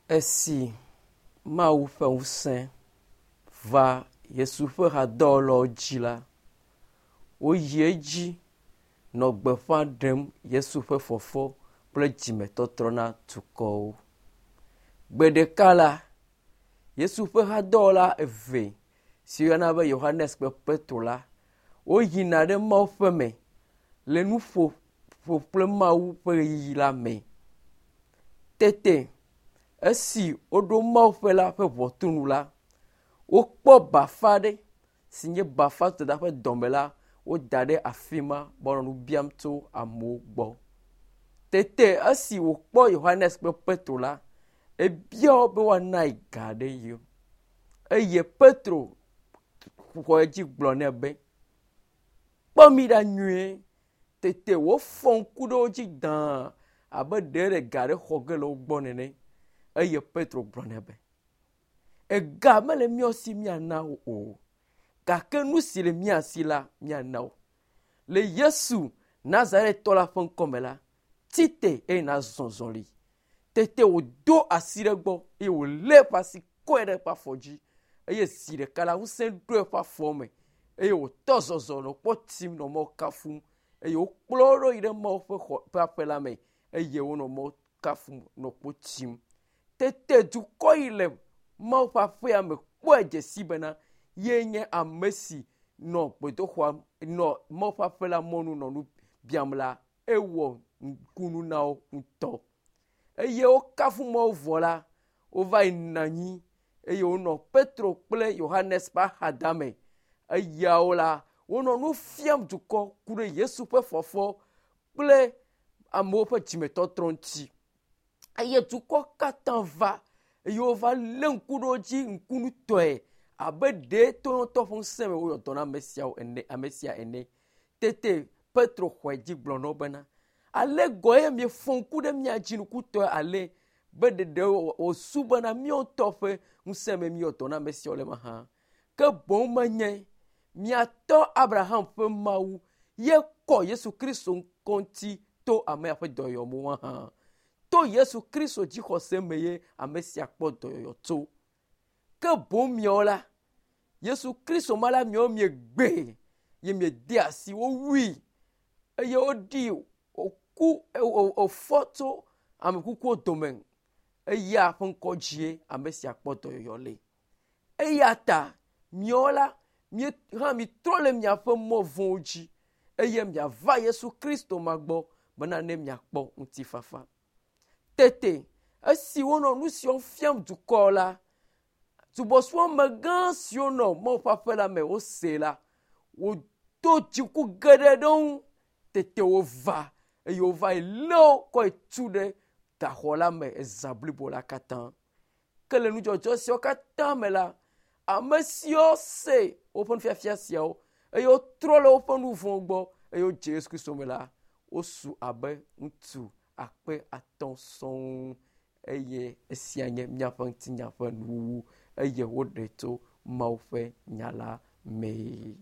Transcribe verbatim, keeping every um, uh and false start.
Esi Mawu ƒe ŋusẽ va Yesu ƒe hadɔwɔlawo dzi la, woyi edzi nɔ gbeƒã ɖem Yesu ƒe fɔfɔ kple dzimetɔtrɔ na dukɔwo. Gbe ɖeka la, Yesu ƒe hadɔwɔla eve si woyɔna be Yohanes kple Petro la, woyina ɖe Mawu ƒe me le nuƒoƒo kple Mawu ƒe ɣeyiɣi la me. Tete esi woɖo Mawu ƒe la ƒe ʋɔtru nu la, wokpɔ bafa aɖe si nye bafa dada ƒe dɔme la, woda ɖe afi ma be wòanɔ nu biam tso amewo gbɔ. Tete esi wòkpɔ Yohanes kple Petro la, ebia wo be woanae ga aɖe yewo. Eye Petro xɔ edzi gblɔ nɛ be, kpɔ mi ɖa nyuie. Tete wòfɔ ŋku ɖe wo dzi dãa abe ɖe le ga aɖe xɔ ge le wo gbɔ nene. Eye Petro gblɔ nɛ be, ega mele míawo si míana wo o, gake nu si le mía si la míana wo. Le Yesu Nazaretɔ la ƒe ŋkɔme la, tite eye nazɔ zɔli. Tete wòdo asi ɖe egbɔ eye wòlé eƒe asi kɔe ɖe eƒe afɔ dzi eye zi ɖeka la ŋusẽ ɖo eƒe afɔ me eye wòtɔ zɔzɔ nɔ kpɔ tim nɔ Mawu kafum eye wokplɔ wo ɖo yi ɖe Mawu ƒe xɔ ƒe aƒe la me eye wonɔ Mawu kafum nɔ kpo tim. Tete dukɔ yi le Mawu ƒe aƒea me kpɔe dze si bena ye nye ame si nɔ gbedoxɔa nɔ Mawu ƒe aƒe la mɔnu nɔ nu biam la, ewɔ nukunu na wo ŋutɔ. Eye wokafu Mawu vɔ la, wova yi nɔ anyi eye wonɔ Petro kple Yohanes ƒe axadame. Eyawo la, wonɔ nu fiam dukɔ ku ɖe Yesu ƒe fɔfɔ kple amewo ƒe dzimetɔtrɔ ŋuti. Eye dukɔ katã va eye wova lé ŋku ɖe wo dzi ŋkunutɔe abe ɖe to ŋutɔ ƒe ŋusẽ me woyɔ dɔ na ame siawo ene ame sia ene. Tete Petro xɔe dzi gblɔ na wo bena, ale gɔe ye miefɔ ŋku ɖe mía dzi nukutɔe ale be ɖeɖe wòsu bena míawo ŋutɔ ƒe ŋusẽ me míeyɔ dɔ na ame siawo le mahã. Ke boŋ menye miatɔ Abraham ƒe Mawu ye kɔ Yesu Kristo ŋkɔ ŋuti to amea ƒe dɔyɔyɔ hã. To Yesu Kristo dzixɔse me ye ame sia kpɔ dɔyɔyɔ tso. Ke boŋ miawo la, Yesu Kristo ma la miawo miegbe ye miede asi wowui eye woɖi wòku wòfɔ tso ame kukuwo dome eya ƒe ŋkɔ dzie ame sia kpɔ dɔyɔyɔ le. Eya ta miawo la, mie hã mitrɔ le miaƒe mɔ vɔ̃wo dzi eye miava Yesu Kristo ma gbɔ bena ne miakpɔ ŋutifafa. Tete esi wonɔ nu siawo fiam dukɔ la, subɔsubɔmegã siwo nɔ Mawu ƒe aƒe la me wose la, wodo dziku geɖe ɖe wo ŋu. Tete wova eye wova yi lé wo kɔ yi tu ɖe gaxɔ la me ezã blibo la katã. Ke le nudzɔdzɔ siawo katã me la, ame siwo se woƒe nufiafia siawo eye wotrɔ le woƒe nu vɔ̃wo gbɔ eye wodze Yesu Kristo me la, wosu abe ŋutsu akpe atɔ̃ sɔŋ eye esia nye míaƒe ŋutinya ƒe nuwuwu eye woɖe tso Mawu ƒe nya la mee.